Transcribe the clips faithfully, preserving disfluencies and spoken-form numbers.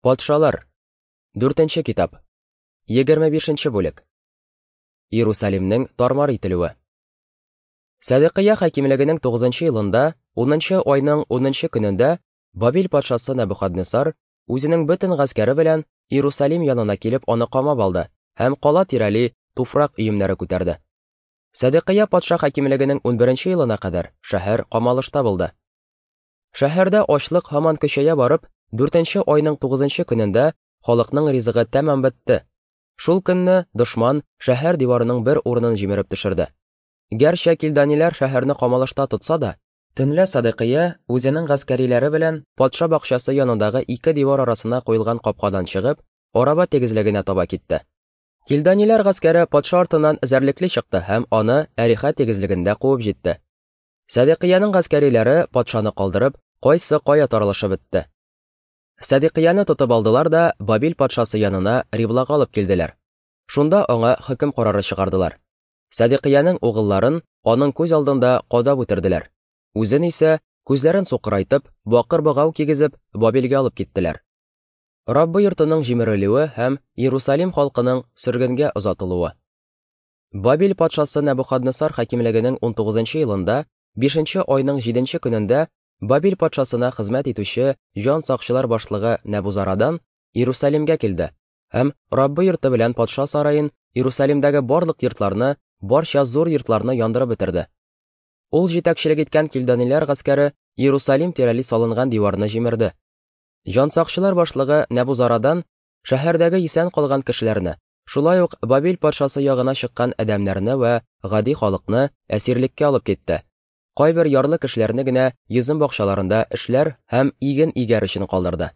Патшалар. Дүртенче китап. Егерме бишенче бүлек. Иерусалимнең тармар ителүе. Сәдыкыя хакимлегенең тугызынчы елында, унынчы айның унынчы көнендә Бабил патшасы Нәбухаднессар үзенең бөтен гаскәре белән Иерусалим янына килеп аны камап алды һәм кала тирәли туфрак өемнәре күтәрде. Сәдыкыя патша хакимлегенең унберенче елына кадәр шәһәр камалышта булды. Шәһәрдә ачлык һаман көчәя барып, дүртенче айның тугызынчы көнендә халыкның ризыгы тәмам бетте. Шул көнне дошман шәһәр диварының бер урынын җимереп төшерде. Гәрчә килданиләр шәһәрне камалышта тотса да, төнлә Сәдыкыя үзенең гаскәриләре белән патша бакчасы янындагы ике дивар арасына куелган капкадан чыгып, араба тигезлегенә таба китте. Килданиләр гаскәре патша артыннан эзәрлекле чыкты һәм аны Әриха тигезлегендә куып җитте. Сәдыкыяның гаскәриләре патшаны калдырып, кайсы кая таралышып бетте. Сәдыкыяны тотып алдылар да Бабил патшасы янына Риблага алып килделәр. Шунда аңа хөкем карары чыгардылар. Сәдыкыяның угылларын аның күз алдында кадап үтерделәр. Үзен исә күзләрен сукырайтып, бакыр богау кигезеп, Бабилгә алып киттеләр. Раббы йортының җимерелүе һәм Иерусалим халкының сөргенгә озатылуы. Бабил патшасы Нәбухаднессар хакимлегенең унтугызынчы елында, бишенче айның җиденче көнендә Бабил патшасына хезмәт итүче җан сакчылар башлыгы Нәбузарадан Иерусалимгә килде һәм Раббы йорты белән патша сараен, Иерусалимдәге барлык йортларны, барча зур йортларны яндырып бетерде. Ул җитәкчелек иткән килданиләр гаскәре Иерусалим тирәли салынган диварны җимерде. Җан сакчылар башлыгы Нәбузарадан шәһәрдәге исән калган кешеләрне, шулай ук Бабил патшасы ягына чыккан адәмнәрне вә гади халыкны әсирлеккә алып китте. Кайбер ярлы кешеләрне генә йөзем бакчаларында эшләр һәм иген игәр өчен калдырды.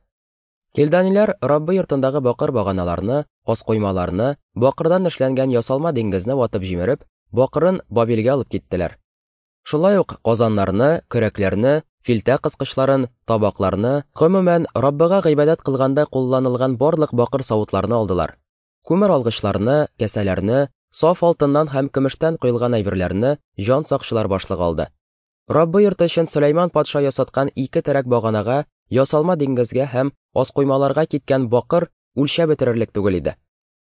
Килданиләр Раббы йортындагы бакыр баганаларны, аскоймаларны, бакырдан эшләнгән ясалма диңгезне ватып җимереп, бакырын Бабилгә алып киттеләр. Шулай ук казаннарны, көрәкләрне, филтә кыскычларын, табакларны, гомумән Раббыга гыйбадәт кылганда кулланылган барлык бакыр савытларны алдылар. Күмер алгычларны, кәсәләрне, саф алтыннан һәм көмештән коелган әйберләрне җан сакчылар башлыгы алды. Раббы йорты өчен Сөләйман патша ясаткан ике терәк баганага, ясалма диңгезгә һәм аскоймаларга киткән бакыр үлчәп бетерерлек түгел иде.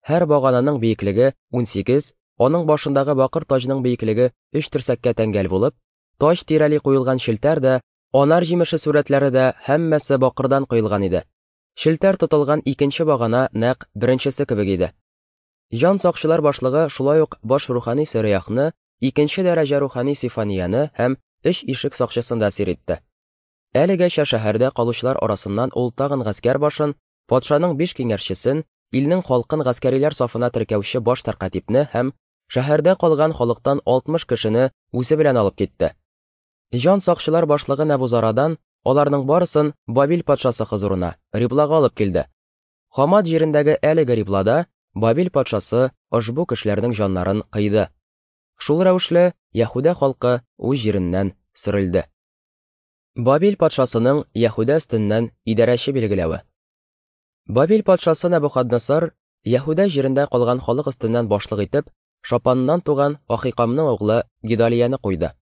Һәр багананың биеклеге унсигез, аның башындагы бакыр таҗның биеклеге өч терсәккә тәңгәл булып, таҗ тирәли куелган челтәр дә, анар җимеше сурәтләре дә һәммәсе бакырдан коелган иде. Челтәр тотылган икенче багана нәкъ беренчесе кебек иде. Җан сакчылар башлыгы шулай ук баш рухани Сөрәяхны, икенче дәрәҗә рухани Сифанияне һәм өч ишек сакчысын да әсир итте. Әлегәчә шәһәрдә калучылар арасыннан ул тагын гаскәр башын, патшаның биш киңәшчесен, илнең халкын гаскәриләр сафына теркәүче баш сәркатипне һәм шәһәрдә калган халыктан алтмыш кешене үзе белән алып китте. Җан сакчылар башлыгы Нәбузарадан аларның барысын Бабил патшасы хозурына, Риблага алып килде. Хамат җирендәге әлеге Риблада Бабил патшасы ошбу кешеләрнең җаннарын кыйды. Шул рәвешле Яһүдә халкы үз җиреннән сөрелде. Бабил патшасының Яһүдә өстеннән идарәче билгеләве. Бабил патшасы Нәбухаднессар Яһүдә җирендә калган халык өстеннән башлык итеп Шапаннан туган Ахикамның углы Гидалияне куйды.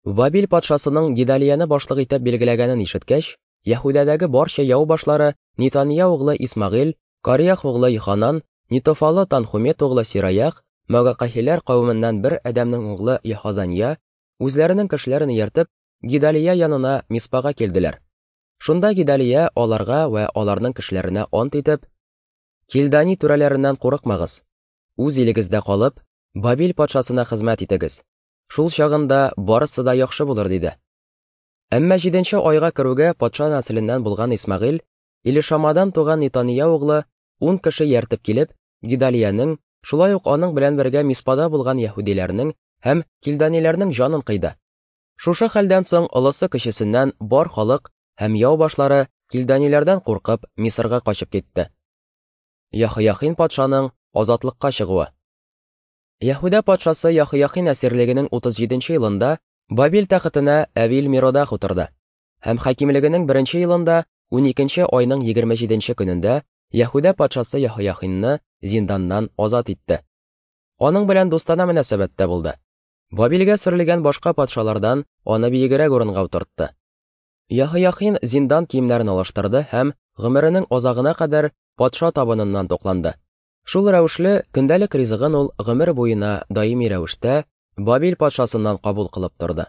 Бабил патшасының Гидалияне башлык итеп билгеләгәнен ишеткәч, Яһүдәдәге барча яу башлары Нитания углы Исмагыйль, Кариях углы Йоханан, Нитофалы Танхумет углы Сираях, Магакахиләр кавеменнән бер адәмнең углы Яхазания үзләренең кешеләрен ияртеп Гидалия янына Миспага килделәр. Шунда Гидалия аларга вә аларның кешеләренә ант итеп: "Килдани түрәләреннән курыкмагыз. Үз илегездә калып, Бабил патшасына хезмәт итегез. Шул чагында барысы да яхшы булыр", диде. Әмма җиденче айга керүгә патша нәселеннән булган Исмагыйль, Илишамадан туган Нитания углы ун кеше ияртеп килеп, Гидалиянең, шулай ук аның белән бергә Миспада булган яһүдиләрнең һәм килданиләрнең җанын кыйды. Шушы хәлдән соң олысы кечесеннән бар халык һәм яу башлары килданиләрдән куркып Мисырга качып китте. Яһояхин патшаның азатлыкка чыгуы. Яһүдә патшасы Яһояхин әсирлегенең утыз җиденче елында Бабил тәхетенә Әвил Миродах утырды. Һәм хакимлегенең беренче елында уникенче айның егерме җиденче көнендә Яһүдә патшасы Яһояхинны зинданнан азат итте. Аның белән дустана мөнәсәбәттә булды. Бабилгә сөрелгән башка патшалардан аны биегрәк урынга утыртты. Яһояхин зиндан киемнәрен алыштырды һәм гомеренең азагына кадәр патша табыныннан тукланды. Шул рәвешле, көндәлек ризыгын ул гомер буена даими рәвештә Бабил патшасыннан кабул кылып торды.